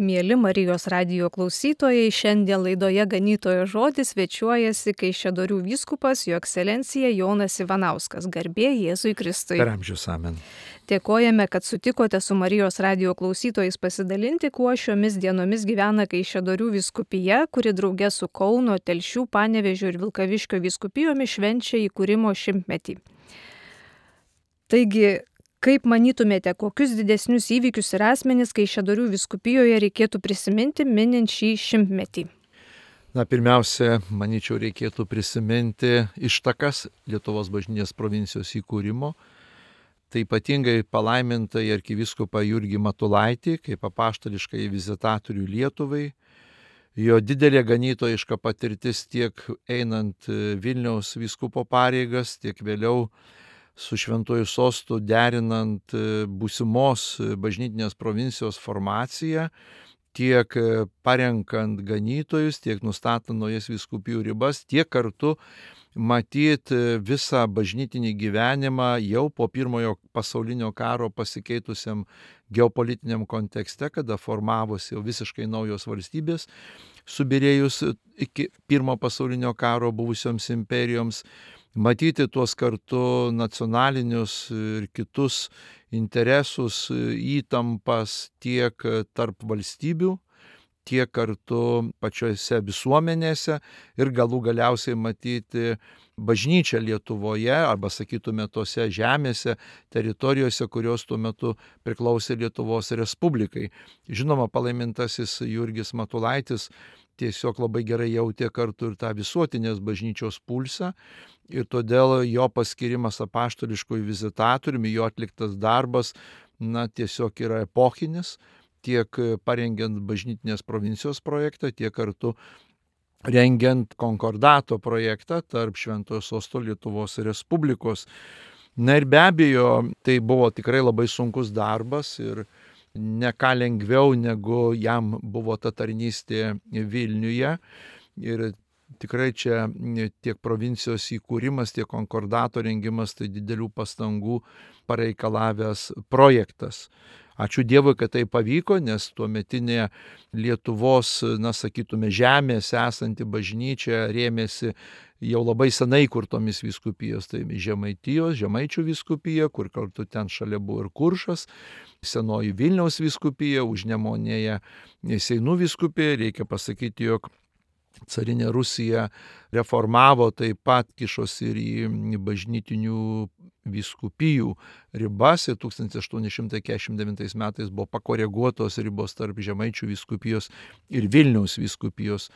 Mieli Marijos radijo klausytojai, šiandien laidoje Ganytojo žodis svečiuojasi Kaišiadorių vyskupas Jo ekscelencija Jonas Ivanauskas. Garbė Jėzui Kristui. Per amžius amen. Dėkojame, kad sutikote su Marijos radijo klausytojais pasidalinti, kuo šiomis dienomis gyvena Kaišiadorių vyskupija, kuri drauge su Kauno, Telšių, Panevėžio ir Vilkaviškio vyskupijomis švenčia įkūrimo 100-metį. Taigi, kaip manytumėte, kokius didesnius įvykius ir asmenis Kaišiadorių vyskupijoje reikėtų prisiminti minint šį 100-metį? Pirmiausia, manyčiau, reikėtų prisiminti ištakas Lietuvos bažnytinės provincijos įkūrimo. Tai ypatingai palaimintai arkivyskupą Jurgį Matulaitį, kaip apaštališkai vizitatorių Lietuvai. Jo didelė ganytojiška patirtis tiek einant Vilniaus vyskupo pareigas, tiek vėliau su Šventuoju sostu derinant būsimos bažnytinės provincijos formaciją, tiek parenkant ganytojus, tiek nustatant naujas vyskupijų ribas, tiek kartu matyti visą bažnytinį gyvenimą jau po pirmojo pasaulinio karo pasikeitusiam geopolitiniam kontekste, kada formavosi jau visiškai naujos valstybės, subyrėjus iki pirmo pasaulinio karo buvusioms imperijoms, matyti tuos kartu nacionalinius ir kitus interesus, įtampas tiek tarp valstybių, tiek kartu pačiose visuomenėse ir galiausiai matyti bažnyčią Lietuvoje, arba sakytume tose žemėse, teritorijose, kurios tuo metu priklausė Lietuvos Respublikai. Žinoma, palaimintasis Jurgis Matulaitis tiesiog labai gerai jautė kartu ir tą visuotinės bažnyčios pulsą ir todėl jo paskirimas apaštališkųjų vizitatoriumi, jo atliktas darbas, tiesiog yra epochinis, tiek parengiant bažnytinės provincijos projektą, tiek kartu rengiant konkordato projektą tarp Šventojo sosto Lietuvos Respublikos. Ir be abejo, tai buvo tikrai labai sunkus darbas ir ne ką lengviau, negu jam buvo ta tarnystė Vilniuje. Ir tikrai čia tiek provincijos įkūrimas, tiek konkordato rengimas, tai didelių pastangų pareikalavęs projektas. Ačiū Dievui, kad tai pavyko, nes tuometinė Lietuvos, sakytume, žemėse esanti bažnyčia rėmėsi jau labai senai kurtomis vyskupijos, tai Žemaitijos, Žemaičių vyskupija, kur kartu ten šalia buvo ir Kuršas, senoji Vilniaus vyskupija, Užnemunėje Seinų vyskupija. Reikia pasakyti, jog carinė Rusija reformavo, taip pat kišosi ir į bažnytinių vyskupijų ribas ir 1849 metais buvo pakoreguotos ribos tarp Žemaičių vyskupijos ir Vilniaus vyskupijos.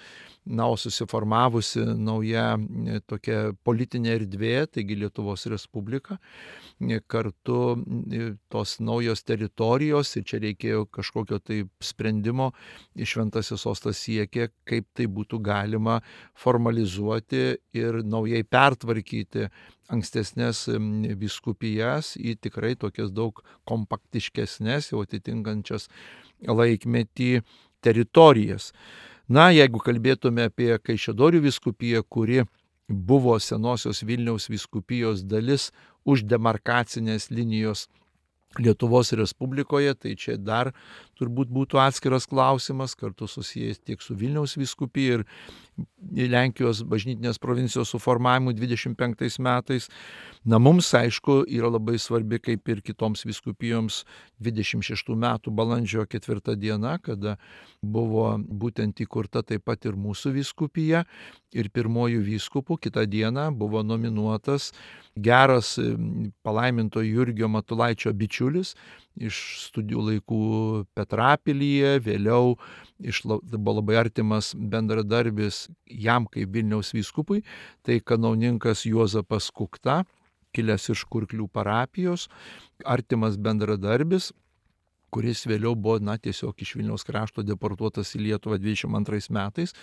O susiformavusi nauja tokia politinė erdvė, taigi Lietuvos Respublika, kartu tos naujos teritorijos ir čia reikėjo kažkokio tai sprendimo, Šventasis sostas siekė, kaip tai būtų galima formalizuoti ir naujai pertvarkyti ankstesnės vyskupijas į tikrai tokias daug kompaktiškesnės, jau atitinkančias laikmetį teritorijas. Jeigu kalbėtume apie Kaišiadorių vyskupiją, kuri buvo senosios Vilniaus vyskupijos dalis už demarkacinės linijos Lietuvos Respublikoje, tai čia dar turbūt būtų atskiras klausimas, kartu susijęs tiek su Vilniaus vyskupija ir Lenkijos bažnytinės provincijos suformavimu 25 metais. Mums, aišku, yra labai svarbi, kaip ir kitoms vyskupijoms, 26 metų balandžio 4 diena, kada buvo būtent įkurta taip pat ir mūsų vyskupija ir pirmojų vyskupų kitą dieną buvo nominuotas geras palaiminto Jurgio Matulaičio bičiulis iš studijų laikų Petrapilyje, vėliau buvo labai artimas bendradarbis jam kaip Vilniaus vyskupui, tai kanauninkas Juozapas Kukta, kilęs iš Kurklių parapijos, artimas bendradarbis, kuris vėliau buvo tiesiog iš Vilniaus krašto deportuotas į Lietuvą 22 metais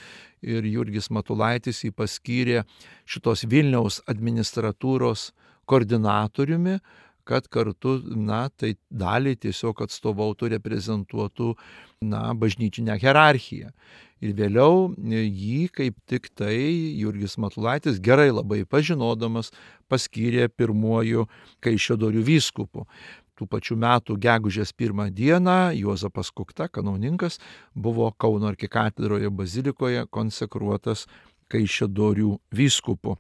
ir Jurgis Matulaitis jį paskyrė šitos Vilniaus administratūros koordinatoriumi, kad kartu, tai dalį tiesiog atstovautų, reprezentuotų, bažnyčinę hierarchiją. Ir vėliau jį kaip tik tai Jurgis Matulaitis, gerai labai pažinodamas, paskyrė pirmuoju Kaišiadorių vyskupu. tų pačių metų gegužės 1 dieną Juozapas Kukta, kanauninkas, buvo Kauno arkikatedroje bazilikoje konsekruotas Kaišiadorių vyskupu.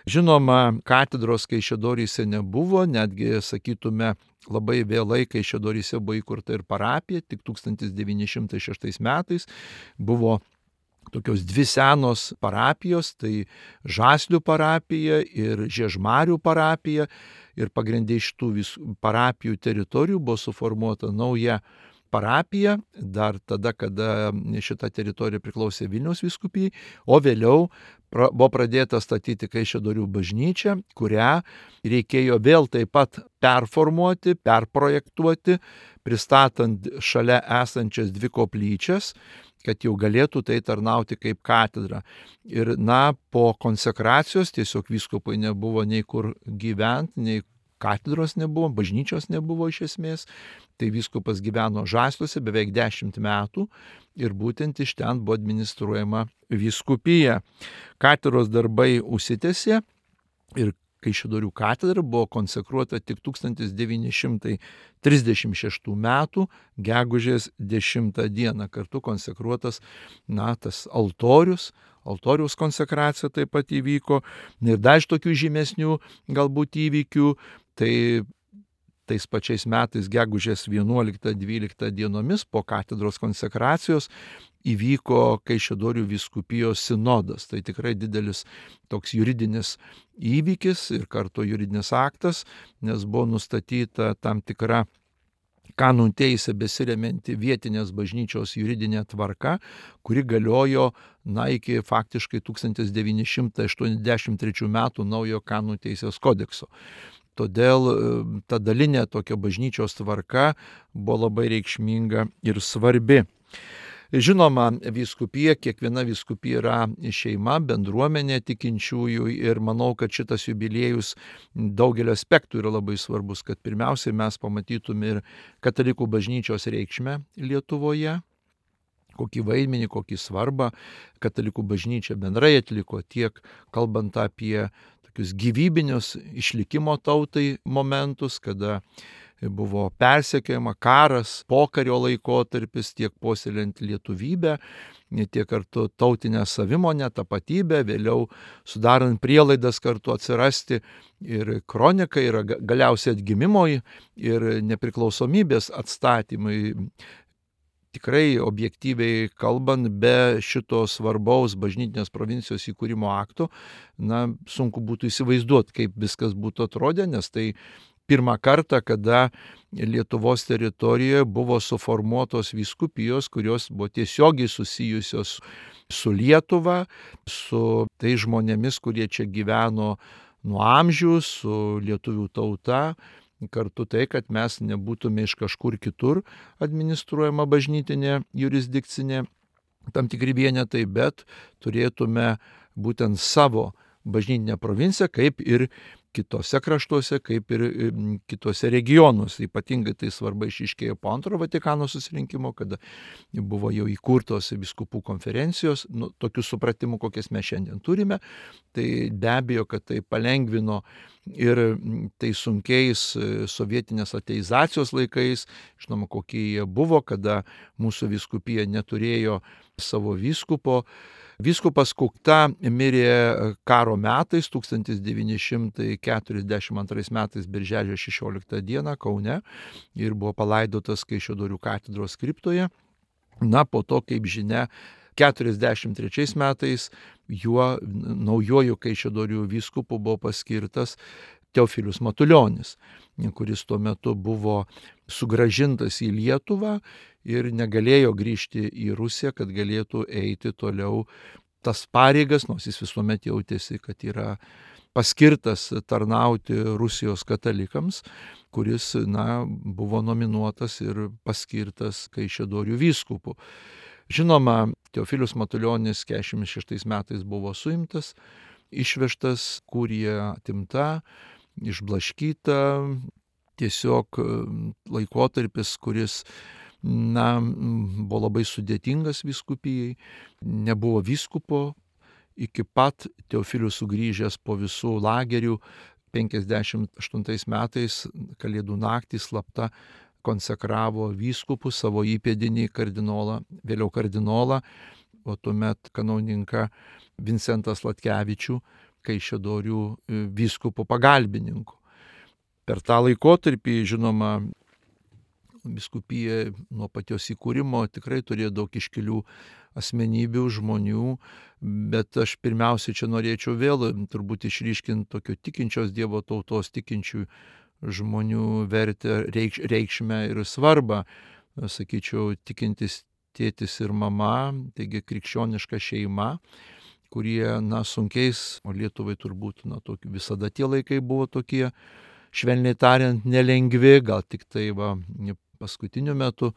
Žinoma, katedros Kaišiadoryse nebuvo, netgi, sakytume, labai vėlai Kaišiadoryse buvo įkurta ir parapija, tik 1906 metais buvo tokios dvi senos parapijos, tai Žaslių parapija ir Žiežmarių parapija, ir pagrindė iš tų parapijų teritorijų buvo suformuota nauja parapija, dar tada, kada šita teritorija priklausė Vilniaus vyskupijai, o vėliau buvo pradėta statyti Kaišiadorių bažnyčią, kurią reikėjo vėl taip pat performuoti, perprojektuoti, pristatant šalia esančias dvi koplyčias, kad jau galėtų tai tarnauti kaip katedra. Ir po konsekracijos tiesiog vyskupai nebuvo nei kur gyventi, nei katedros nebuvo, bažnyčios nebuvo iš esmės. Tai vyskupas gyveno Žasliuose beveik 10 metų ir būtent iš ten buvo administruojama vyskupija. Katedros darbai užsitęsė ir Kaišiadorių katedra buvo konsekruota tik 1936 metų gegužės 10 dieną. Kartu konsekruotas tas altoriaus konsekracija taip pat įvyko. Ir dar iš tokių žymesnių galbūt įvykių, tai tais pačiais metais gegužės 11-12 dienomis po katedros konsekracijos įvyko Kaišiadorių vyskupijos sinodas. Tai tikrai didelis toks juridinis įvykis ir kartu juridinis aktas, nes buvo nustatyta tam tikra kanonų teisė besiremianti vietinės bažnyčios juridinė tvarka, kuri galiojo iki faktiškai 1983 metų naujo kanonų teisės kodekso. Todėl ta dalinė tokia bažnyčios tvarka buvo labai reikšminga ir svarbi. Žinoma, vyskupija, kiekviena vyskupija yra šeima, bendruomenė tikinčiųjų ir manau, kad šitas jubiliejus daugelio aspektų yra labai svarbus, kad pirmiausiai mes pamatytume ir katalikų bažnyčios reikšmę Lietuvoje, kokį vaidmenį, kokį svarbą katalikų bažnyčia bendrai atliko, tiek kalbant apie tokius gyvybinius išlikimo tautai momentus, kada buvo persekiojama, karas, pokario laikotarpis, tiek puoselėjant lietuvybę, tiek kartu tautinę savimonę, tapatybę, vėliau sudarant prielaidas kartu atsirasti ir kronikai, ir galiausiai atgimimui ir nepriklausomybės atstatymui. Tikrai objektyviai kalbant, be šito svarbaus bažnytinės provincijos įkūrimo akto, sunku būtų įsivaizduoti, kaip viskas būtų atrodę, nes tai pirmą kartą, kada Lietuvos teritorijoje buvo suformuotos vyskupijos, kurios buvo tiesiogiai susijusios su Lietuva, su tai žmonėmis, kurie čia gyveno nuo amžių, su lietuvių tauta. Kartu tai, kad mes nebūtume iš kažkur kitur administruojama bažnytinė jurisdikcinė tam tikri vienetai, bet turėtume būtent savo bažnytinę provinciją, kaip ir kitose kraštuose, kaip ir kitose regionuose. Ypatingai tai svarba išryškėjo po Antrojo Vatikano susirinkimo, kada buvo jau įkurtos vyskupų konferencijos, tokių supratimų, kokias mes šiandien turime. Tai be abejo, kad tai palengvino ir tai sunkiais sovietinės ateizacijos laikais, žinoma, kokie jie buvo, kada mūsų vyskupija neturėjo savo vyskupo. Vyskupas Kukta mirė karo metais, 1942 metais birželio 16 dieną Kaune ir buvo palaidotas Kaišiadorių katedros kriptoje. Po to, kaip žinia, 1943 metais juo naujoju Kaišiadorių vyskupu buvo paskirtas Teofilius Matulionis, kuris tuo metu buvo sugrąžintas į Lietuvą ir negalėjo grįžti į Rusiją, kad galėtų eiti toliau tas pareigas, nors jis visuomet jautėsi, kad yra paskirtas tarnauti Rusijos katalikams, kuris buvo nominuotas ir paskirtas Kaišiadorių vyskupu. Žinoma, Teofilius Matulionis 1946 metais buvo suimtas, išvežtas, kurija atimta, išblaškyta, tiesiog laikotarpis, kuris buvo labai sudėtingas vyskupijai, nebuvo vyskupo, iki pat Teofilius sugrįžęs po visų lagerių 58 metais Kalėdų naktį slapta konsekravo vyskupų savo įpėdinį kardinolą, vėliau kardinolą, o tuomet kanauninką Vincentą Sladkevičių, Kaišiadorių vyskupų pagalbininku. Per tą laikotarpį, žinoma, vyskupija nuo pačios įkūrimo tikrai turėjo daug iškilių asmenybių, žmonių, bet aš pirmiausia čia norėčiau vėl turbūt išryškinti tokio tikinčios Dievo tautos, tikinčių žmonių vertę, reikšmę ir svarbą. Sakyčiau, tikintis tėtis ir mama, taigi krikščioniška šeima, kurie, sunkiais, o Lietuvai turbūt, visada tie laikai buvo tokie, švelniai tariant, nelengvi, gal tik tai paskutiniu metu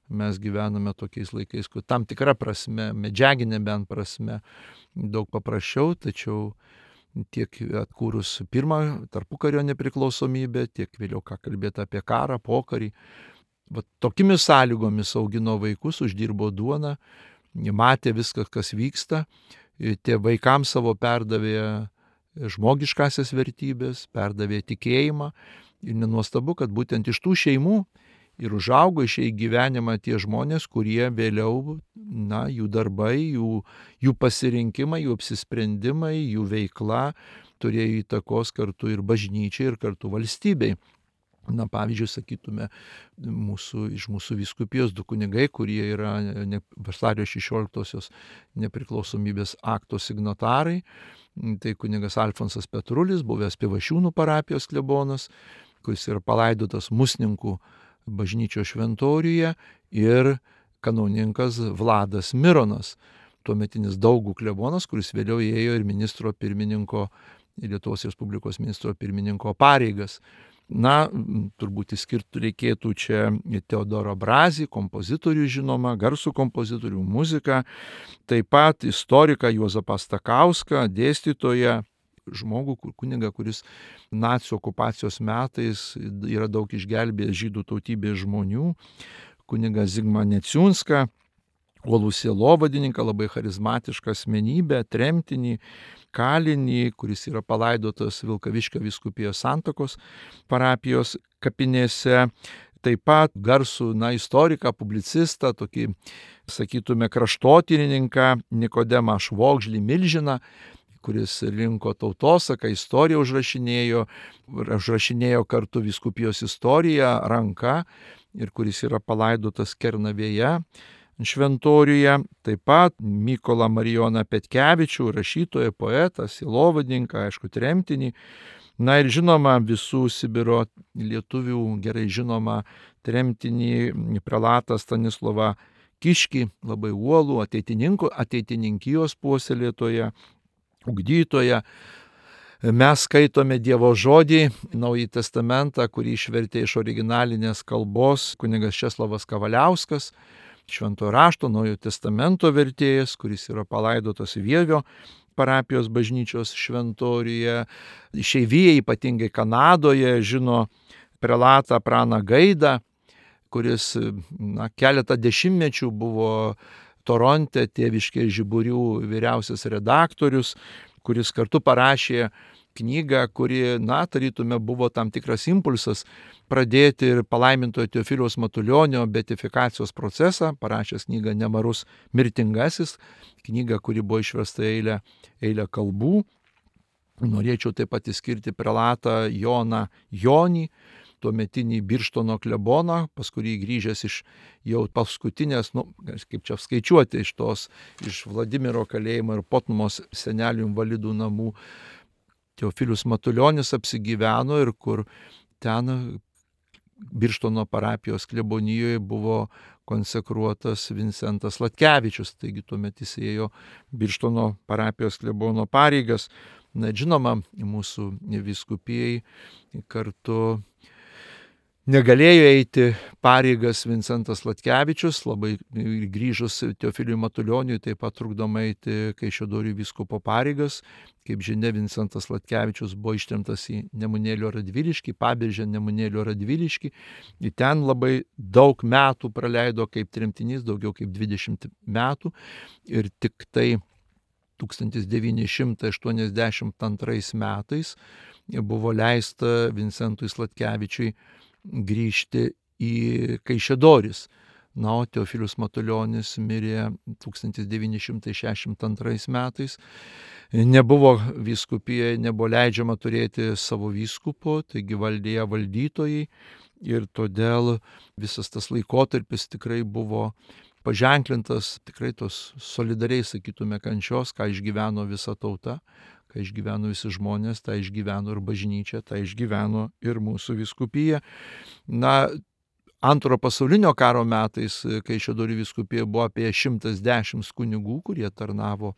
mes gyvename tokiais laikais, kur tam tikra prasme, medžiaginė bent prasme, daug paprasčiau, tačiau tiek atkūrus pirmą tarpukario nepriklausomybę, tiek vėliau ką kalbėti apie karą, pokarį. Tokimis sąlygomis augino vaikus, uždirbo duoną, matė viską, kas vyksta, tie vaikams savo perdavė žmogiškasias vertybės, perdavė tikėjimą ir nenuostabu, kad būtent iš tų šeimų ir užaugo išėjo į gyvenimą tie žmonės, kurie vėliau, jų darbai, jų pasirinkimai, jų apsisprendimai, jų veikla turėjo įtakos kartu ir bažnyčiai, ir kartu valstybei. Pavyzdžiui, sakytume, iš mūsų vyskupijos 2 kunigai, kurie yra vasario 16-osios nepriklausomybės akto signatarai. Tai kunigas Alfonsas Petrulis, buvęs Pivašiūnų parapijos klebonas, kuris yra palaidotas Musninkų bažnyčios šventoriuje, ir kanauninkas Vladas Mironas, tuometinis Daugų klebonas, kuris vėliau ėjo ir ministro pirmininko, Lietuvos Respublikos ministro pirmininko pareigas. Turbūt išskirti reikėtų čia Teodorą Brazį, kompozitorių žinoma, garsų kompozitorių, muziką, taip pat istoriką Juozapą Stakauską, dėstytoją, žmogų, kunigą, kuris nacių okupacijos metais yra daug išgelbėjęs žydų tautybės žmonių, kunigą Zigmą Neciunską, uolų sielovadininką, labai charizmatišką asmenybę, tremtinį, kalinį, kuris yra palaidotas Vilkaviškio vyskupijos Santakos parapijos kapinėse. Taip pat garsų istoriką, publicistą, tokį, sakytume, kraštotyrininką Nikodemą Švogžlį Milžiną, kuris rinko tautosaką, istoriją užrašinėjo kartu vyskupijos istoriją ranka ir kuris yra palaidotas Kernavėje šventoriuje. Taip pat Mykolą Marijoną Petkevičių, rašytoją, poetą, sielovadininką, aišku, tremtinį. Ir žinoma, visų Sibiro lietuvių gerai žinoma tremtinį prelatą Stanislovą Kiškį, labai uolų ateitininkijos puoselėtoją, ugdytoją. Mes skaitome Dievo žodį, Naująjį testamentą, kurį išvertė iš originalinės kalbos kunigas Česlovas Kavaliauskas, Šventojo rašto Naujojo testamento vertėjas, kuris yra palaidotas Vievio parapijos bažnyčios šventoriuje. Išeivijai, ypatingai Kanadoje, žino prelatą Praną Gaidą, kuris keletą dešimtmečių buvo Toronte Tėviškės žiburių vyriausias redaktorius, kuris kartu parašė knygą, kuri, tarytume, buvo tam tikras impulsas pradėti ir palaimintojo Teofiliaus Matulionio beatifikacijos procesą, parašęs knygą Nemarus mirtingasis, knygą, kuri buvo išversta eilę kalbų. Norėčiau taip pat išskirti prelatą Joną Jonį, tuometinį Birštono kleboną, pas kurį grįžęs iš jau paskutinės, kaip čia skaičiuoti, iš Vladimiro kalėjimo ir Potnumos senelių invalidų namų, Teofilius Matulionis apsigyveno ir kur ten Birštono parapijos klebonijoje buvo konsekruotas Vincentas Sladkevičius, taigi tuomet jis ėjo Birštono parapijos klebono pareigas. Žinoma, mūsų vyskupijai kartu negalėjo eiti pareigas Vincentas Sladkevičius, labai grįžus Teofiliui Matulioniui taip pat trukdoma eiti Kaišiadorių vyskupo pareigas. Kaip žinia, Vincentas Sladkevičius buvo ištremtas į Nemunėlio Radviliškį, Paberžę Nemunėlio Radviliškį. Ir ten labai daug metų praleido kaip tremtinys, daugiau kaip 20 metų. Ir tik tai 1982 metais buvo leista Vincentui Sladkevičiui grįžti į Kaišiadoris. Na, o Teofilius Matulionis mirė 1962 metais. Nebuvo vyskupijoje, nebuvo leidžiama turėti savo vyskupo, taigi valdė valdytojai ir todėl visas tas laikotarpis tikrai buvo paženklintas tikrai tos solidariai, sakytume, kančios, ką išgyveno visa tauta, ką išgyveno visi žmonės, tą išgyveno ir bažnyčia, tą išgyveno ir mūsų vyskupija. Na, Antrojo pasaulinio karo metais Kaišiadorių vyskupijoje buvo apie 110 kunigų, kurie tarnavo,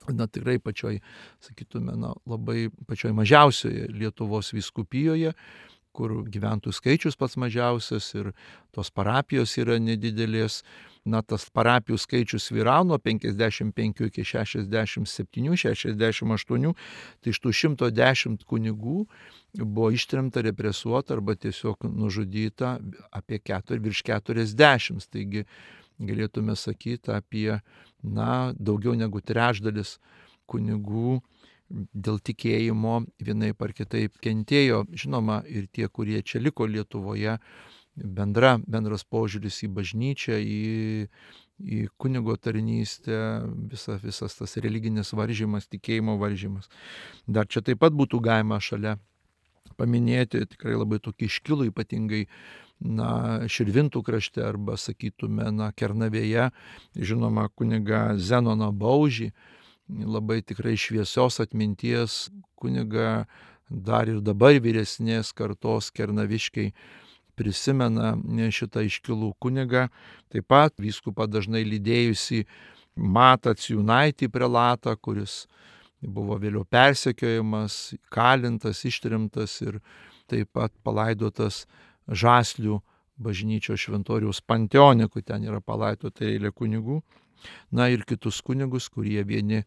tikrai pačioj, sakytume, labai pačioj mažiausioje Lietuvos vyskupijoje, kur gyventojų skaičius pats mažiausias ir tos parapijos yra nedidelės. Tas parapijų skaičius vyravo nuo 55 iki 67, 68, tai iš tų 110 kunigų buvo ištremta, represuota arba tiesiog nužudyta apie virš 40. Taigi galėtume sakyti apie daugiau negu trečdalis kunigų dėl tikėjimo vienaip ar kitaip kentėjo. Žinoma, ir tie, kurie čia liko Lietuvoje, bendras požiūris į bažnyčią, į kunigo tarnystę, visas tas religinis varžymas, tikėjimo varžymas. Dar čia taip pat būtų galima šalia paminėti tikrai labai tokį iškilų, ypatingai Širvintų krašte arba, sakytume, Kernavėje, žinoma, kunigą Zenoną Baužį, labai tikrai šviesios atminties kunigą, dar ir dabar vyresnės kartos kernaviškiai prisimena šitą iškilų kunigą. Taip pat vyskupą dažnai lydėjusi Matą Ciūnaitį prelatą, kuris buvo vėliau persekiojamas, kalintas, ištrimtas ir taip pat palaidotas Žaslių bažnyčios šventoriaus panteone, kur ten yra palaidota eilė kunigų. Ir kitus kunigus, kurie vieni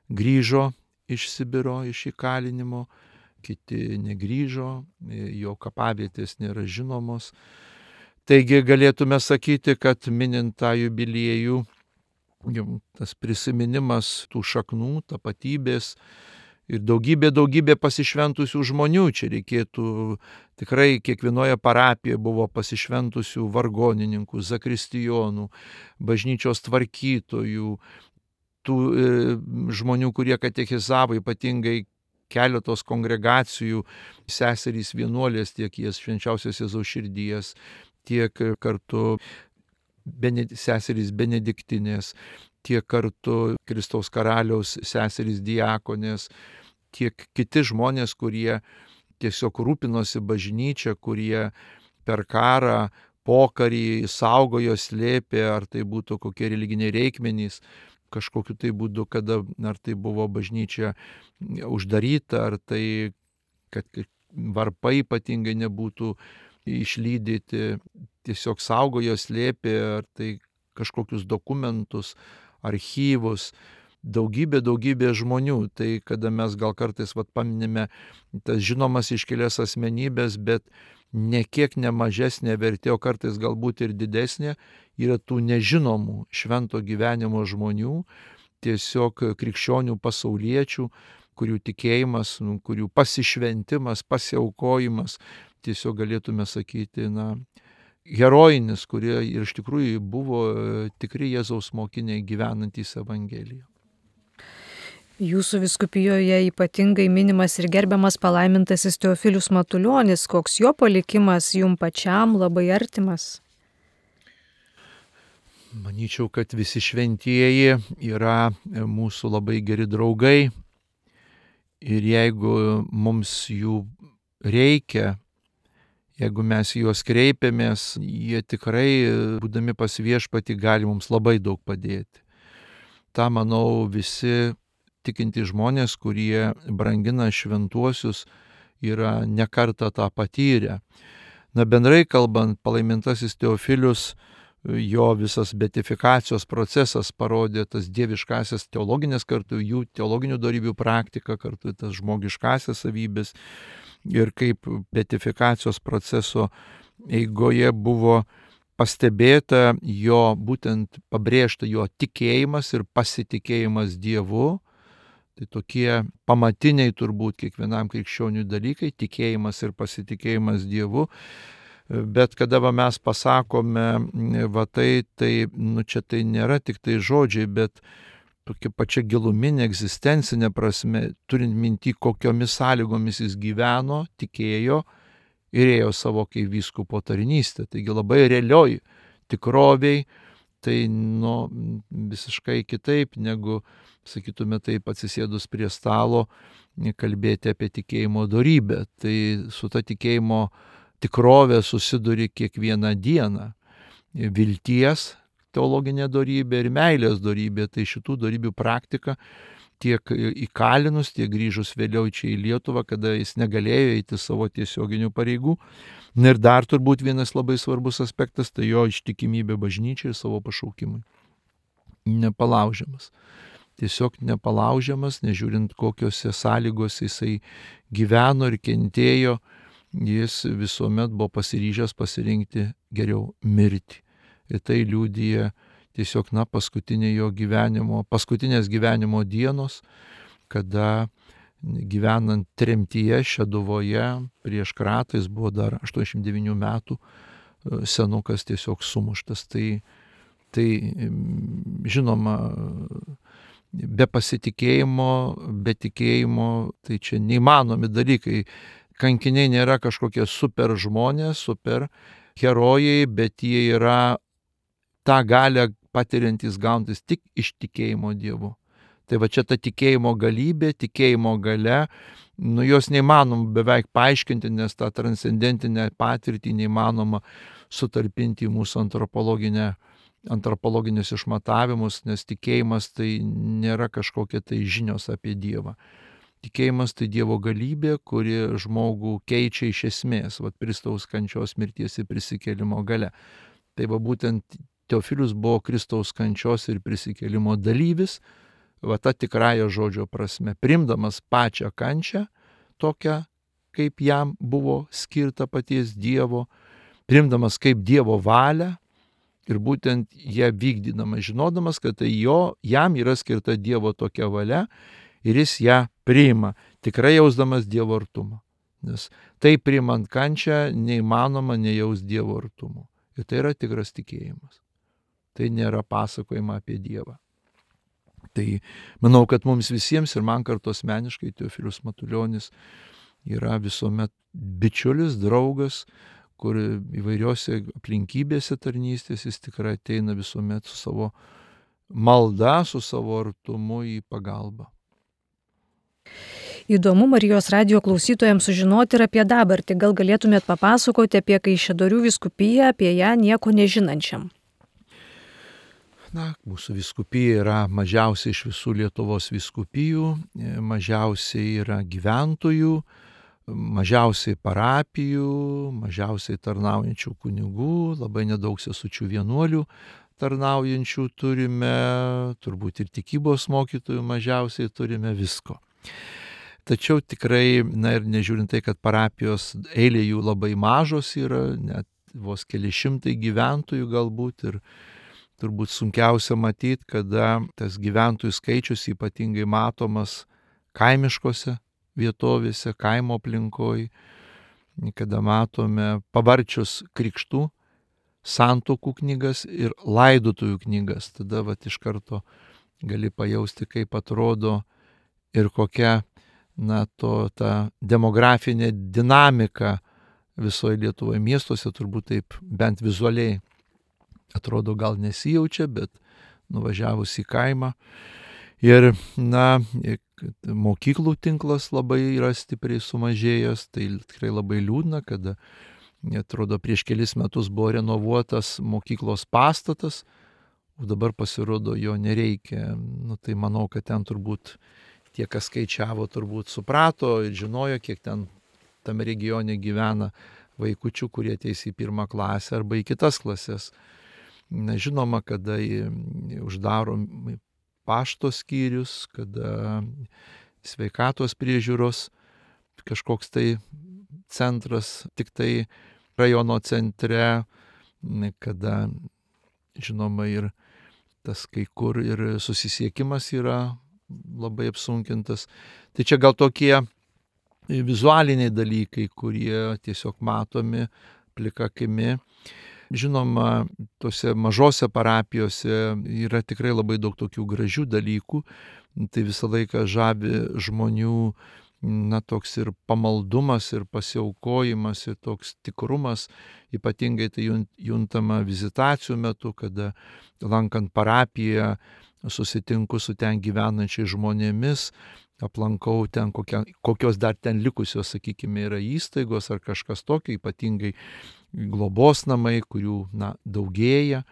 grįžo iš Sibiro, iš įkalinimo, kiti negrįžo, jo kapavietės nėra žinomos. Taigi galėtume sakyti, kad minint tą jubiliejų, tas prisiminimas tų šaknų, tapatybės ir daugybė pasišventusių žmonių. Čia reikėtų tikrai kiekvienoje parapijoje buvo pasišventusių vargonininkų, zakristijonų, bažnyčios tvarkytojų, tų žmonių, kurie katechizavo, ypatingai keletos kongregacijų, seserys vienuolės, tiek jas Švenčiausios Jėzaus Širdies, tiek kartu seserys benediktinės, tiek kartu Kristaus Karaliaus seserys diakonės, tiek kiti žmonės, kurie tiesiog rūpinosi bažnyčia, kurie per karą, pokarį saugojo, slėpė, ar tai būtų kokie religiniai reikmenys, kažkokiu tai būdu, kada ar tai buvo bažnyčia uždaryta, ar tai, kad varpai ypatingai nebūtų išlydyti, tiesiog saugojo, slėpė, ar tai kažkokius dokumentus, archyvus, daugybė žmonių. Tai kada mes gal kartais paminime tas žinomas iškilias asmenybės, bet nekiek nemažesnė vertė, o kartais galbūt ir didesnė, yra tų nežinomų švento gyvenimo žmonių, tiesiog krikščionių pasauliečių, kurių tikėjimas, kurių pasišventimas, pasiaukojimas, tiesiog galėtume sakyti, herojinis, kurie ir iš tikrųjų buvo tikri Jėzaus mokiniai gyvenantys Evangeliją. Jūsų vyskupijoje ypatingai minimas ir gerbiamas palaimintasis Teofilius Matulionis. Koks jo palikimas jum pačiam labai artimas? Manyčiau, kad visi šventieji yra mūsų labai geri draugai ir jeigu mums jų reikia, jeigu mes juos kreipiamės, jie tikrai, būdami pas Viešpatį, gali mums labai daug padėti. Ta, manau, visi tikintys žmonės, kurie brangina šventuosius, yra ne kartą tą patyrę. Bendrai kalbant, palaimintasis Teofilius, jo visas beatifikacijos procesas parodė tas dieviškasias teologinės, kartu jų teologinių dorybių praktiką, kartu tas žmogiškasias savybės. Ir kaip beatifikacijos proceso eigoje buvo pastebėta jo, būtent pabrėžta jo tikėjimas ir pasitikėjimas Dievu, Tai tokie pamatiniai turbūt kiekvienam krikščioniui dalykai - tikėjimas ir pasitikėjimas Dievu. Bet kada mes pasakome, čia tai nėra tik tai žodžiai, bet tokia pačia giluminė egzistencinė prasme, turint minty, kokiomis sąlygomis jis gyveno, tikėjo ir ėjo savo kaip vyskupo tarnystę. Taigi labai realioj tikroviai, tai visiškai kitaip negu, sakytume taip, atsisėdus prie stalo kalbėti apie tikėjimo dorybę. Tai su ta tikėjimo tikrovė susiduri kiekvieną dieną. Vilties teologinė dorybė ir meilės dorybė. Tai šitų dorybių praktika tiek įkalinus, tiek grįžus vėliau čia į Lietuvą, kada jis negalėjo eiti savo tiesioginių pareigų. Ir dar turbūt vienas labai svarbus aspektas, tai jo ištikimybė bažnyčiai ir savo pašaukimui. Nepalaužiamas. Tiesiog nepalaužiamas, nežiūrint kokiose sąlygose jisai gyveno ir kentėjo, jis visuomet buvo pasiryžęs pasirinkti geriau mirti. Ir tai liudija tiesiog paskutinės gyvenimo dienos, kada gyvenant tremtyje Šeduvoje prieš kratą, jis buvo dar 89 metų senukas, tiesiog sumuštas. Tai žinoma, be pasitikėjimo, be tikėjimo, tai čia neįmanomi dalykai. Kankiniai nėra kažkokie super žmonės, super herojai, bet jie yra tą galią patiriantys, gaunantis tik iš tikėjimo Dievu. Tai va čia ta tikėjimo galybė, tikėjimo galia, jos neįmanoma beveik paaiškinti, nes tą transcendentinę patirtį neįmanoma sutalpinti į mūsų antropologinius išmatavimus, nes tikėjimas tai nėra kažkokie tai žinios apie Dievą. Tikėjimas tai Dievo galybė, kuri žmogų keičia iš esmės, Kristaus kančios, mirties ir prisikėlimo galia. Tai būtent Teofilius buvo Kristaus kančios ir prisikėlimo dalyvis, ta tikrąja žodžio prasme, priimdamas pačią kančią, tokią, kaip jam buvo skirta paties Dievo, priimdamas kaip Dievo valią ir būtent ją vykdydamas, žinodamas, kad tai jam yra skirta Dievo tokia valia ir jis ją priima, tikrai jausdamas Dievo artumą. Nes tai priimant kančią neįmanoma nejaus Dievo artumo. Ir tai yra tikras tikėjimas. Tai nėra pasakojama apie Dievą. Tai manau, kad mums visiems ir man kartu asmeniškai Teofilius Matulionis yra visuomet bičiulis, draugas, kur įvairiose aplinkybėse tarnystės jis tikrai ateina visuomet su savo malda, su savo artumu į pagalbą. Įdomu Marijos radijo klausytojams sužinoti ir apie dabartį. Gal galėtumėt papasakoti apie Kaišiadorių vyskupiją, apie ją nieko nežinančiam? Mūsų vyskupija yra mažiausiai iš visų Lietuvos vyskupijų, mažiausiai yra gyventojų, mažiausiai parapijų, mažiausiai tarnaujančių kunigų, labai nedaug sesučių vienuolių tarnaujančių turime, turbūt ir tikybos mokytojų mažiausiai turime, visko. Tačiau tikrai, ir nežiūrint tai, kad parapijos eilė jų labai mažos yra, net vos keli šimtai gyventojų galbūt, ir turbūt sunkiausia matyti, kada tas gyventojų skaičius ypatingai matomas kaimiškose vietovėse, kaimo aplinkoj, kada matome pavarčius krikštų, santuokų knygas ir laidotuvių knygas. Tada iš karto gali pajausti, kaip atrodo ir kokia ta demografinė dinamika visoje Lietuvoje, miestuose turbūt taip bent vizualiai atrodo gal nesijaučia, bet nuvažiavus į kaimą. Ir mokyklų tinklas labai yra stipriai sumažėjęs, tai tikrai labai liūdna, kada atrodo prieš kelis metus buvo renovuotas mokyklos pastatas, o dabar pasirodo jo nereikia. Tai manau, kad ten turbūt tie, kas skaičiavo, turbūt suprato ir žinojo, kiek ten tame regione gyvena vaikučių, kurie ateis į 1 klasę arba į kitas klases. Žinoma, kada uždaromi pašto skyrius, kada sveikatos priežiūros kažkoks tai centras tik tai rajono centre, kada žinoma ir tas kai kur ir susisiekimas yra labai apsunkintas. Tai čia gal tokie vizualiniai dalykai, kurie tiesiog matomi plika akimi. Žinoma, tose mažose parapijose yra tikrai labai daug tokių gražių dalykų. Tai visą laiką žavi žmonių, toks ir pamaldumas, ir pasiaukojimas, ir toks tikrumas. Ypatingai tai juntama vizitacijų metu, kada lankant parapiją susitinku su ten gyvenančiais žmonėmis, aplankau ten kokios dar ten likusios, sakykime, yra įstaigos ar kažkas tokio, ypatingai globos namai, kurių daugėja,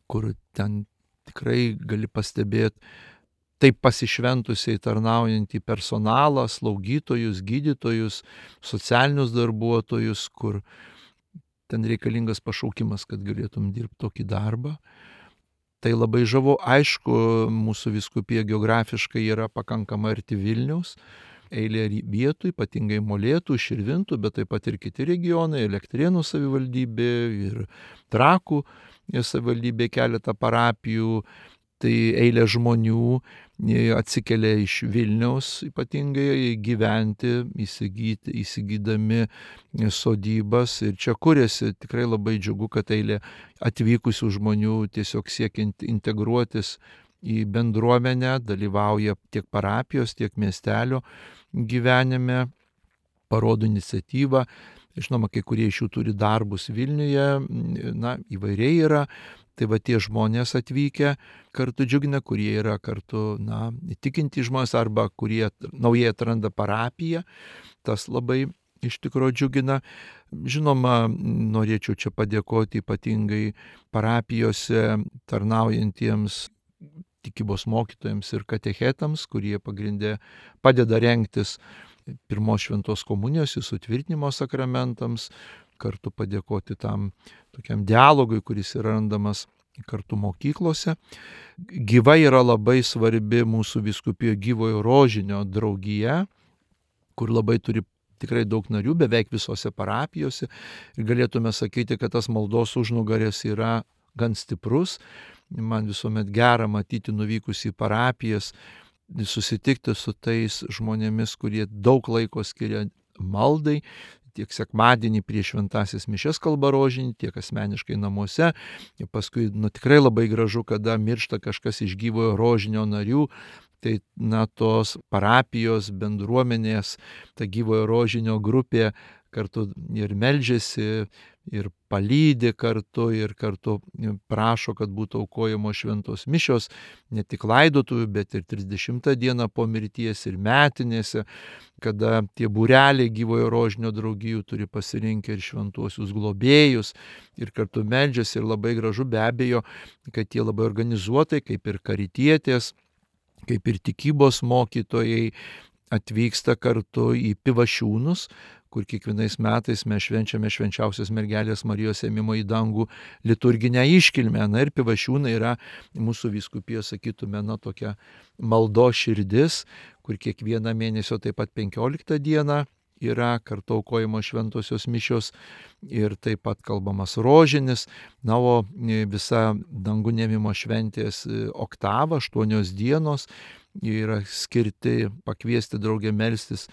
kur ten tikrai gali pastebėti taip pasišventusiai tarnaujantį personalą, slaugytojus, gydytojus, socialinius darbuotojus, kur ten reikalingas pašaukimas, kad galėtum dirbti tokį darbą. Tai labai žavu. Aišku, mūsų vyskupija geografiškai yra pakankamai arti Vilniaus, eilė vietų, ypatingai Molėtų, Širvintų, bet taip pat ir kiti regionai, Elektrėnų savivaldybė ir Trakų savivaldybė, keletą parapijų. Tai eilė žmonių atsikelia iš Vilniaus ypatingai gyventi, įsigydami sodybas, ir čia kuriasi. Tikrai labai džiugu, kad eilė atvykusių žmonių tiesiog siekiant integruotis į bendruomenę, dalyvauja tiek parapijos, tiek miestelio gyvenime, parodo iniciatyvą. Žinoma, kai kurie iš jų turi darbus Vilniuje, įvairiai yra. Tai va tie žmonės atvykę kartu džiugina, kurie yra kartu, tikinti žmonės arba kurie naujai atranda parapiją. Tas labai iš tikrųjų džiugina. Žinoma, norėčiau čia padėkoti ypatingai parapijose tarnaujantiems tikybos mokytojams ir katechetams, kurie pagrindė padeda rengtis pirmos šventos komunijos ir sutvirtinimo sakramentams, kartu padėkoti tam tokiam dialogui, kuris yra randamas kartu mokyklose. Gyva yra labai svarbi mūsų vyskupijoje Gyvojo Rožinio draugija, kur labai turi tikrai daug narių, beveik visose parapijose. Ir galėtume sakyti, kad tas maldos užnugaris yra gan stiprus. Man visuomet gera matyti nuvykus į parapijas, susitikti su tais žmonėmis, kurie daug laiko skiria maldai, tiek sekmadienį prieš šventąsias mišias kalba rožinį, tiek asmeniškai namuose. Ir paskui tikrai labai gražu, kada miršta kažkas iš Gyvojo Rožinio narių. Tai tos parapijos bendruomenės, ta Gyvojo Rožinio grupė kartu ir meldžiasi, ir palydi kartu, ir kartu prašo, kad būtų aukojamos šventos mišios, ne tik laidotuvių, bet ir 30 dieną po mirties ir metinėse, kada tie būreliai Gyvojo Rožinio draugijų turi pasirinkę ir šventuosius globėjus, ir kartu meldžiasi. Ir labai gražu be abejo, kad jie labai organizuotai, kaip ir karitietės, kaip ir tikybos mokytojai, atvyksta kartu į Pivašiūnus, kur kiekvienais metais mes švenčiame švenčiausios mergelės Marijos ėmimo į dangų liturginę iškilmę. Ir Pivašiūnai yra mūsų vyskupijos, sakytume, tokia maldos širdis, kur kiekvieną mėnesio taip pat 15 dieną yra kartu aukojamos šventosios mišios ir taip pat kalbamas rožinis. O visa dangų ėmimo šventės oktava, 8 dienos, yra skirti pakviesti draugę melstis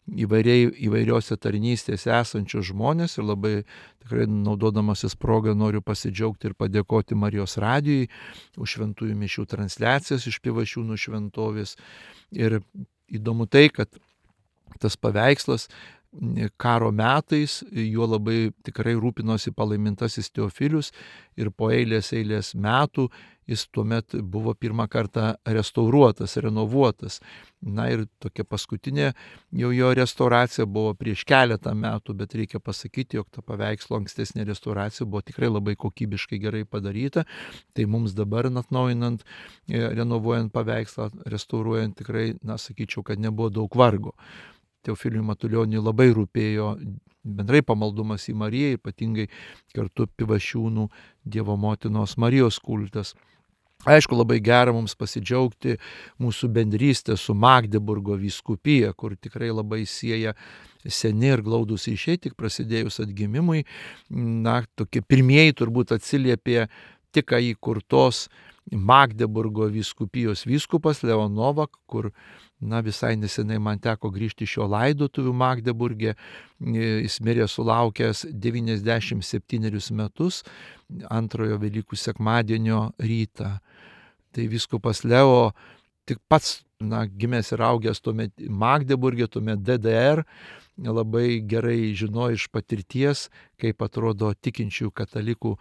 įvairiose tarnystėse esančius žmonės. Ir labai tikrai naudodamasis progą noriu pasidžiaugti ir padėkoti Marijos radijui už šventųjų mišių transliacijas iš Pivašiūnų šventovės. Ir įdomu tai, kad tas paveikslas karo metais, juo labai tikrai rūpinosi palaimintasis Teofilius, ir po eilės metų jis tuomet buvo pirmą kartą restauruotas, renovuotas. Ir tokia paskutinė jo restauracija buvo prieš keletą metų, bet reikia pasakyti, jog ta paveikslo ankstesnė restauracija buvo tikrai labai kokybiškai gerai padaryta. Tai mums dabar atnaujinant, renovuojant paveikslą, restauruojant, tikrai, sakyčiau, kad nebuvo daug vargo. Teofiliui Matulioniui labai rūpėjo bendrai pamaldumas į Mariją, ypatingai kartu Pivašiūnų Dievo motinos Marijos kultas. Aišku, labai gera mums pasidžiaugti mūsų bendrystę su Magdeburgo vyskupija, kur tikrai labai sieja seni ir glaudūs ryšiai, tik prasidėjus atgimimui. Tokie pirmieji turbūt atsiliepė tik įkurtos Magdeburgo vyskupijos vyskupas Leon Novak, kur visai nesenai man teko grįžti iš jo laidotuvių Magdeburge. Jis mirė sulaukęs 97 metus antrojo Velykų sekmadienio rytą. Tai vyskupas Leo tik pats gimęs ir augęs tuomet Magdeburge, tuomet DDR, labai gerai žino iš patirties, kaip atrodo tikinčių katalikų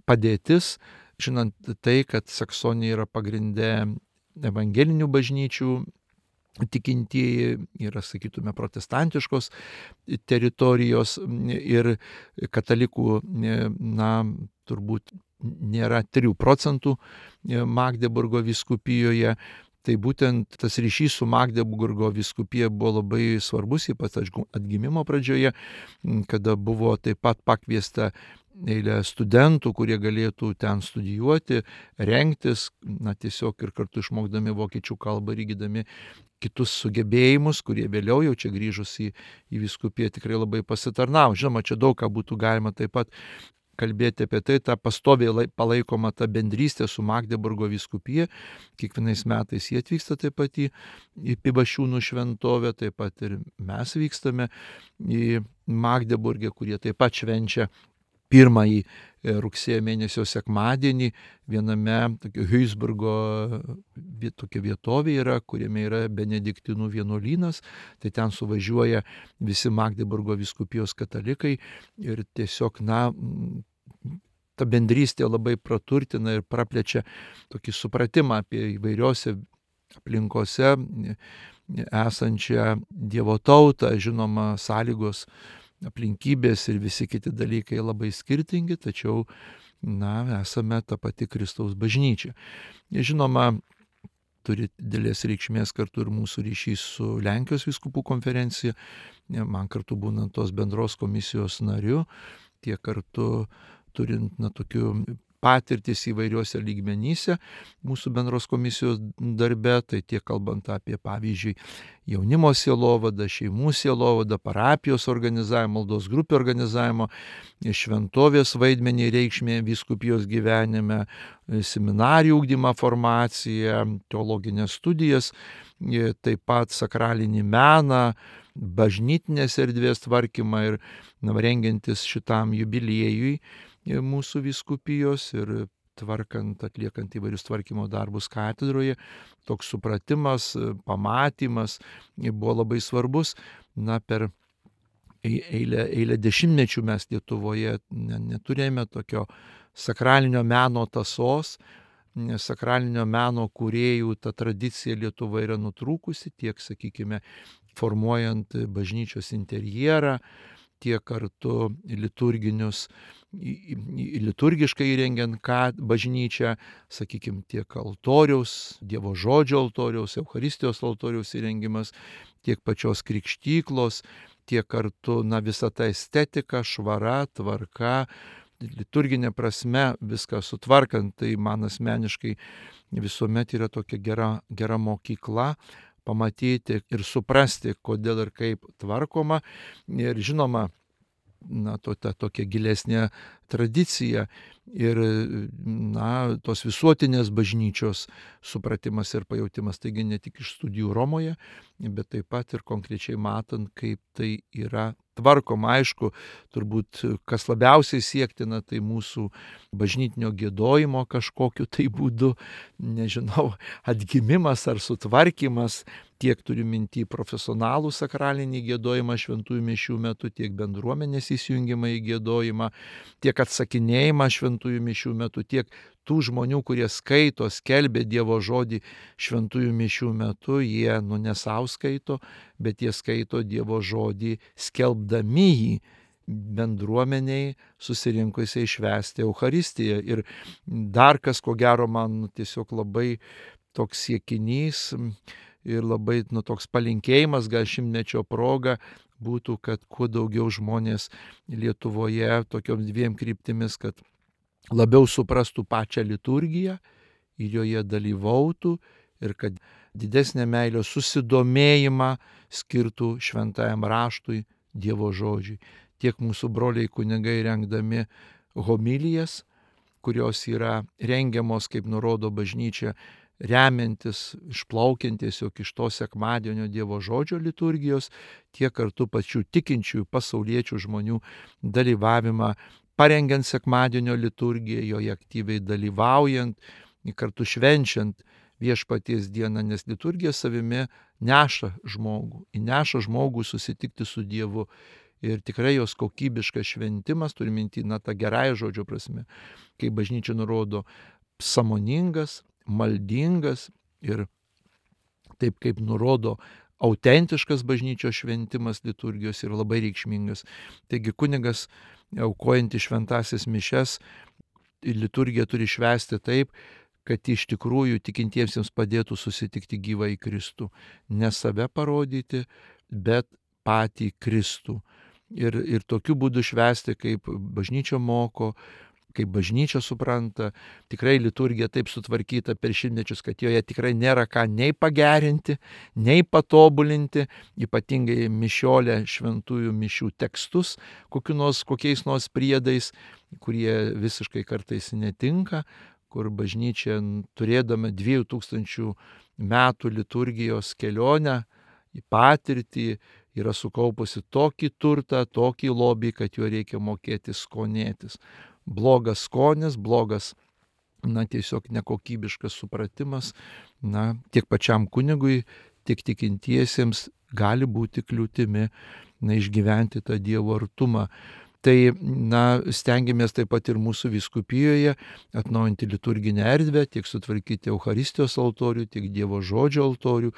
padėtis, žinant tai, kad Saksonija yra pagrinde evangelinių bažnyčių tikintieji, yra, sakytume, protestantiškos teritorijos ir katalikų, turbūt nėra 3% Magdeburgo vyskupijoje. Tai būtent tas ryšys su Magdeburgo vyskupija buvo labai svarbus, ypač atgimimo pradžioje, kada buvo taip pat pakviesta eilė studentų, kurie galėtų ten studijuoti, rengtis, tiesiog ir kartu išmokdami vokiečių kalbą ir įgydami kitus sugebėjimus, kurie vėliau jau čia grįžus į vyskupiją tikrai labai pasitarnavo. Žinoma, čia daug ką būtų galima taip pat kalbėti apie tai, ta pastoviai palaikoma ta bendrystė su Magdeburgo vyskupija. Kiekvienais metais jie atvyksta taip pat į Pivašiūnų šventovę, taip pat ir mes vykstame į Magdeburgę, kurie taip pat švenčia pirmąjį rugsėjo mėnesio sekmadienį viename Huisburgo tokia vietovė yra, kuriame yra benediktinų vienuolynas. Tai ten suvažiuoja visi Magdeburgo vyskupijos katalikai ir tiesiog ta bendrystė labai praturtina ir praplečia tokį supratimą apie įvairiose aplinkose esančią Dievo tautą. Žinoma, sąlygos, aplinkybės ir visi kiti dalykai labai skirtingi, tačiau esame ta pati Kristaus bažnyčia. Žinoma, turi didelės reikšmės kartu ir mūsų ryšys su Lenkijos vyskupų konferencija. Man kartu būnant tos bendros komisijos nariu, tiek kartu turint tokių patirtis įvairiuose lygmenyse mūsų bendros komisijos darbe, tai tiek kalbant apie, pavyzdžiui, jaunimo sielovadą, šeimų sielovadą, parapijos organizavimą, maldos grupių organizavimo, šventovės vaidmenį reikšmė vyskupijos gyvenime, seminarijų ugdymą, formaciją, teologinės studijas, taip pat sakralinį meną, bažnytinės erdvės tvarkymą ir rengiantis šitam jubiliejui mūsų vyskupijos ir tvarkant, atliekant įvairius tvarkymo darbus katedroje, toks supratimas, pamatymas buvo labai svarbus. Per eilę dešimtmečių mes Lietuvoje neturėjome tokio sakralinio meno tąsos, sakralinio meno kūrėjų ta tradicija Lietuvoje yra nutrūkusi, tiek, sakykime, formuojant bažnyčios interjerą, tiek kartu liturgiškai įrengiant bažnyčią, sakykime, tiek altoriaus, Dievo žodžio altoriaus, Eucharistijos altoriaus įrengimas, tiek pačios krikštyklos, tiek kartu visa ta estetika, švara, tvarka, liturginė prasme viską sutvarkant. Tai man asmeniškai visuomet yra tokia gera mokykla pamatyti ir suprasti, kodėl ir kaip tvarkoma. Ir žinoma, ta tokia gilesnė tradicija ir tos visuotinės bažnyčios supratimas ir pajautimas. Taigi ne tik iš studijų Romoje, bet taip pat ir konkrečiai matant, kaip tai yra tvarkoma. Aišku, turbūt kas labiausiai siektina, tai mūsų bažnytinio giedojimo kažkokiu tai būdu, nežinau, atgimimas ar sutvarkymas, tiek turiu minty profesionalų sakralinį giedojimą šventųjų mišių metu, tiek bendruomenės įsijungimą į giedojimą, tiek atsakinėjimą šventųjų mišių metu, tiek tų žmonių, kurie skaito, skelbia Dievo žodį šventųjų mišių metu, jie ne savo skaito, bet jie skaito Dievo žodį skelbdami jį bendruomeniai susirinkusiai švęsti Eucharistiją. Ir dar kas, ko gero, man tiesiog labai toks siekinys ir labai toks palinkėjimas, gal šimtmečio proga, būtų, kad kuo daugiau žmonės Lietuvoje tokiom dviem kryptimis, kad labiau suprastų pačią liturgiją ir joje dalyvautų ir kad didesnę meilę susidomėjimą skirtų šventajam raštui, Dievo žodžiui. Tiek mūsų broliai kunigai rengdami homilijas, kurios yra rengiamos, kaip nurodo bažnyčia, remiantis, išplaukiant tiesiog iš to sekmadienio Dievo žodžio liturgijos, tiek kartu pačių tikinčiųjų pasauliečių žmonių dalyvavimą, parengiant sekmadienio liturgiją, joje aktyviai dalyvaujant, kartu švenčiant Viešpaties dieną, nes liturgija savimi neša žmogų, įneša žmogų susitikti su Dievu. Ir tikrai jos kokybiškas šventimas, turi minti, tą gerąją žodžio prasme, kai bažnyčia nurodo, sąmoningas, maldingas ir taip kaip nurodo autentiškas bažnyčios šventimas liturgijos yra labai reikšmingas. Taigi kunigas, aukojantis šventąsias mišias, liturgiją turi švęsti taip, kad iš tikrųjų tikintiesiems padėtų susitikti gyvą į Kristų. Ne save parodyti, bet patį Kristų. Ir tokiu būdu švęsti, kaip bažnyčia moko, kaip bažnyčia supranta. Tikrai liturgija taip sutvarkyta per šimtmečius, kad joje tikrai nėra ką nei pagerinti, nei patobulinti, ypatingai mišiolė šventųjų mišių tekstus, kokiais nors priedais, kurie visiškai kartais netinka, kur bažnyčia, turėdama 2000 metų liturgijos kelionę į patirtį, yra sukaupusi tokį turtą, tokį lobį, kad juo reikia mokėti skonėtis. Blogas skonis, blogas, tiesiog nekokybiškas supratimas, tiek pačiam kunigui, tiek tikintiesiems gali būti kliūtimi, išgyventi tą Dievo artumą. Tai, stengiamės taip pat ir mūsų vyskupijoje atnaujinti liturginę erdvę, tiek sutvarkyti Eucharistijos altorių, tiek Dievo žodžio altorių,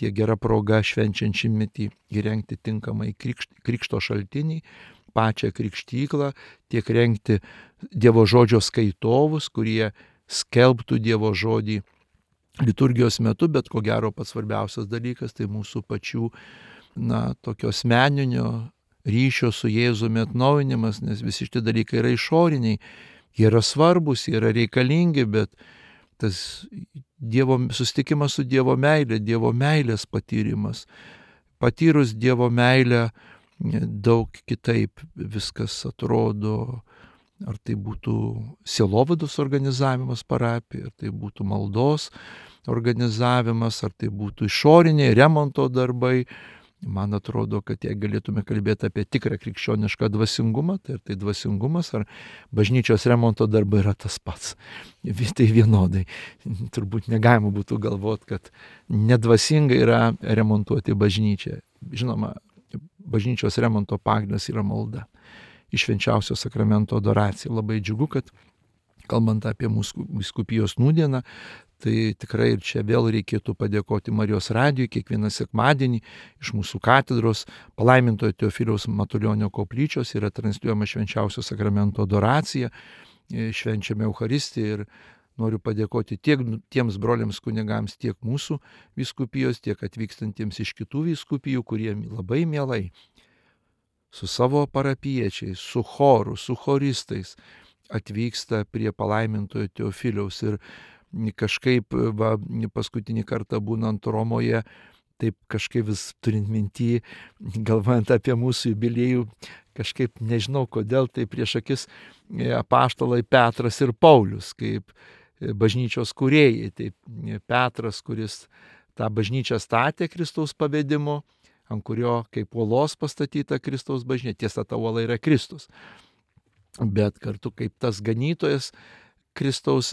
tiek gera proga švenčiant šimtmetį įrengti tinkamai krikšto šaltinį, pačią krikštyklą, tiek rengti Dievo žodžio skaitovus, kurie skelbtų Dievo žodį liturgijos metu, bet ko gero pats svarbiausias dalykas tai mūsų pačių, tokio asmeninio ryšio su Jėzumi atnaujinimas, nes visi šitie dalykai yra išoriniai, jie yra svarbus, jie yra reikalingi, bet tas susitikimas su Dievo meilė, Dievo meilės patyrimas. Patyrus Dievo meilę daug kitaip viskas atrodo, ar tai būtų sielovados organizavimas parapijai, ar tai būtų maldos organizavimas, ar tai būtų išoriniai remonto darbai. Man atrodo, kad jei galėtume kalbėti apie tikrą krikščionišką dvasingumą, tai dvasingumas ar bažnyčios remonto darbai yra tas pats. Tai vienodai. Turbūt negalima būtų galvoti, kad nedvasinga yra remontuoti bažnyčią. Žinoma, bažnyčios remonto pagrindas yra malda. Iš švenčiausio sakramento adoracija. Labai džiugu, kad kalbant apie mūsų vyskupijos nūdieną, tai tikrai ir čia vėl reikėtų padėkoti Marijos radijui kiekvieną sekmadienį iš mūsų katedros palaimintojo Teofiliaus Matulionio koplyčios yra transliuojama švenčiausio sakramento adoracija, švenčiame Eucharistiją ir noriu padėkoti tiek tiems broliams kunigams, tiek mūsų vyskupijos, tiek atvykstantiems iš kitų vyskupijų, kurie labai mielai su savo parapiečiais, su choru, su choristais atvyksta prie palaimintojo Teofiliaus ir kažkaip paskutinį kartą būnant Romoje, taip kažkaip vis turint minty, galvojant apie mūsų jubiliejų, kažkaip nežinau kodėl, tai prieš akis apaštalai Petras ir Paulius, kaip bažnyčios kūrėjai. Tai Petras, kuris tą bažnyčią statė Kristaus pavedimu, ant kurio kaip uolos pastatyta Kristaus bažnyčia, tiesa, ta uola yra Kristus. Bet kartu kaip tas ganytojas Kristaus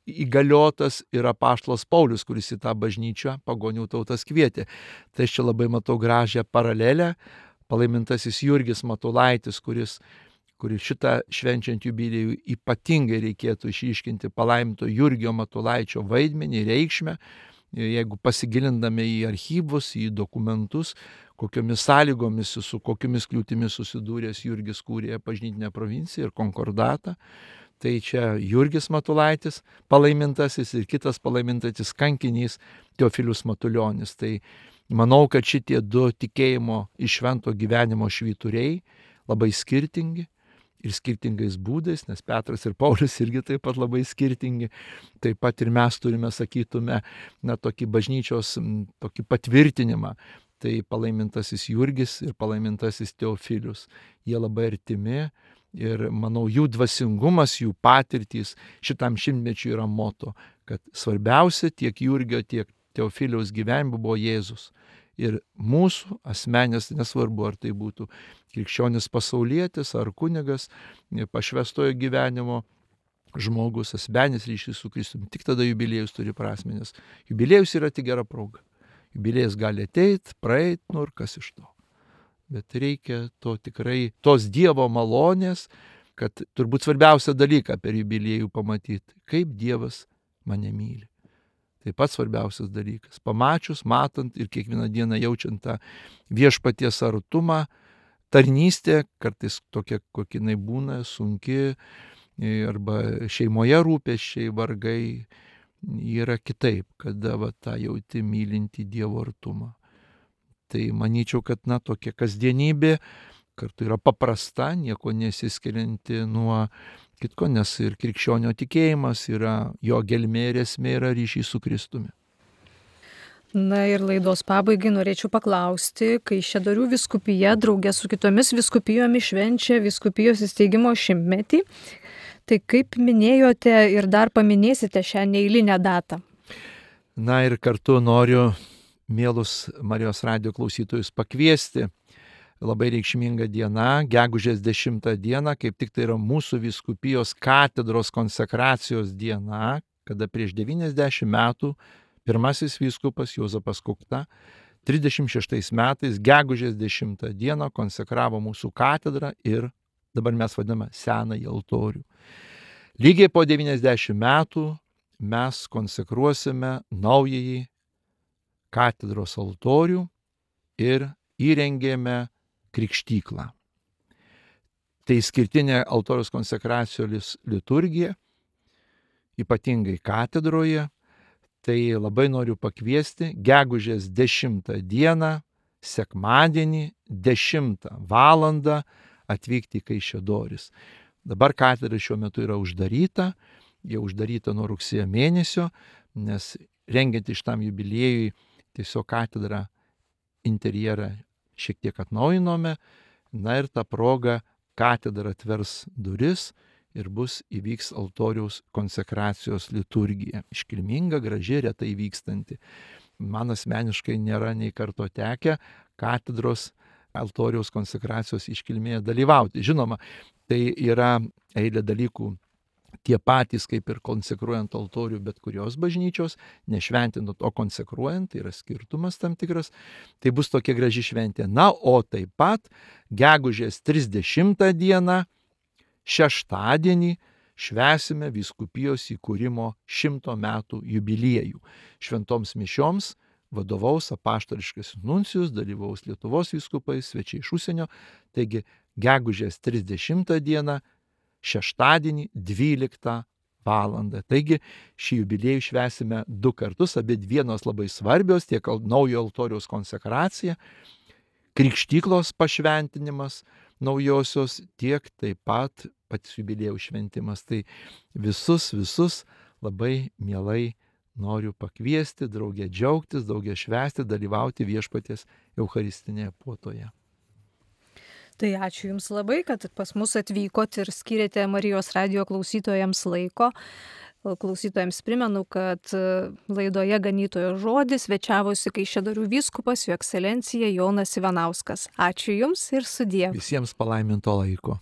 įgaliotas yra apaštalas Paulius, kuris į tą bažnyčią pagonių tautas kvietė. Tai aš čia labai matau gražią paralelę. Palaimintasis Jurgis Matulaitis, kuris šitą švenčiant jubiliejų ypatingai reikėtų išryškinti palaiminto Jurgio Matulaičio vaidmenį, reikšmę. Jeigu pasigilindame į archyvus, į dokumentus, kokiomis sąlygomis, su kokiomis kliūtimis susidūręs Jurgis kūrė bažnytinę provinciją ir konkordatą, tai čia Jurgis Matulaitis palaimintasis ir kitas palaimintasis kankinys Teofilius Matulionis. Tai manau, kad šitie du tikėjimo iš švento gyvenimo švyturiai labai skirtingi ir skirtingais būdais, nes Petras ir Paulius irgi taip pat labai skirtingi. Taip pat ir mes turime, sakytume, tokį bažnyčios tokį patvirtinimą. Tai palaimintasis Jurgis ir palaimintasis Teofilius. Jie labai artimi, Ir manau, jų dvasingumas, jų patirtys šitam šimtmečiui yra moto, kad svarbiausia tiek Jurgio, tiek Teofiliaus gyvenime buvo Jėzus. Ir mūsų asmenės, nesvarbu, ar tai būtų krikščionis pasaulietis, ar kunigas, pašvestojo gyvenimo žmogus, asmenis ryšys su Kristumi, tik tada jubiliejus turi prasmę, nes jubiliejus yra tik gera proga. Jubiliejus gali ateiti, praeiti, ir kas iš to. Bet reikia to tikrai, tos Dievo malonės, kad turbūt svarbiausia dalyką per jubiliejų pamatyti, kaip Dievas mane myli. Tai pats svarbiausias dalykas. Pamačius, matant ir kiekvieną dieną jaučiant tą viešpaties artumą, tarnystė, kartais tokia, kokia jinai būna, sunki, arba šeimoje rūpesčiai, vargai, yra kitaip, kada tą jauti mylinti Dievo artumą. Tai manyčiau, kad tokia kasdienybė kartu yra paprasta, nieko nesiskirianti nuo kitko, nes ir krikščionio tikėjimas yra, jo gelmė ir esmė yra ryšys su Kristumi. Na ir laidos pabaigai norėčiau paklausti, Kaišiadorių vyskupija draugė su kitomis vyskupijomis švenčia vyskupijos įsteigimo 100-metį. Tai kaip minėjote ir dar paminėsite šią neeilinę datą? Na ir kartu noriu mielus Marijos radijo klausytojus pakviesti. Labai reikšminga diena, gegužės 10 diena, kaip tik tai yra mūsų vyskupijos katedros konsekracijos diena, kada prieš 90 metų pirmasis vyskupas Juozapas Kukta 36 metais gegužės 10 dieną konsekravo mūsų katedrą ir dabar mes vadiname senąjį altorių. Lygiai po 90 metų mes konsekruosime naująjį katedros altorių ir įrengėme krikštyklą. Tai išskirtinė altoriaus konsekracijos liturgija, ypatingai katedroje. Tai labai noriu pakviesti gegužės 10 dieną, sekmadienį, 10 valandą atvykti į Kaišiadoris. Dabar katedra šiuo metu yra uždaryta, jau uždaryta nuo rugsėjo mėnesio, nes rengiant iš tam jubiliejui tiesiog katedrą interjerą šiek tiek atnaujinome, na ir tą progą katedra atvers duris ir įvyks altoriaus konsekracijos liturgija. Iškilminga, graži, retai vykstanti. Man asmeniškai nėra nei karto tekę katedros altoriaus konsekracijos iškilmėje dalyvauti. Žinoma, tai yra eilė dalykų tie patys, kaip ir konsekruojant altorių bet kurios bažnyčios, nešventinant, o konsekruojant, tai yra skirtumas tam tikras, tai bus tokia graži šventė. Na, o taip pat gegužės 30 dieną, šeštadienį, švęsime vyskupijos įkūrimo 100 metų jubiliejų. Šventoms mišioms vadovaus apaštališkas nuncijus, dalyvaus Lietuvos vyskupai, svečiai iš užsienio, taigi gegužės 30 dieną, šeštadienį 12 valandą. Taigi šį jubiliejų švęsime 2 kartus, abi dienos labai svarbios, tiek naujo altoriaus konsekracija, krikštyklos pašventinimas naujosios, tiek taip pat pats jubiliejų šventimas. Tai visus labai mielai noriu pakviesti, drauge džiaugtis, drauge švęsti, dalyvauti viešpaties eucharistinėje puotoje. Tai ačiū Jums labai, kad pas mus atvykot ir skyrėte Marijos radijo klausytojams laiko. Klausytojams primenu, kad laidoje Ganytojo žodis svečiavosi Kaišiadorių vyskupas Jo ekscelencija Jonas Ivanauskas. Ačiū Jums ir sudie. Visiems palaiminto laiko.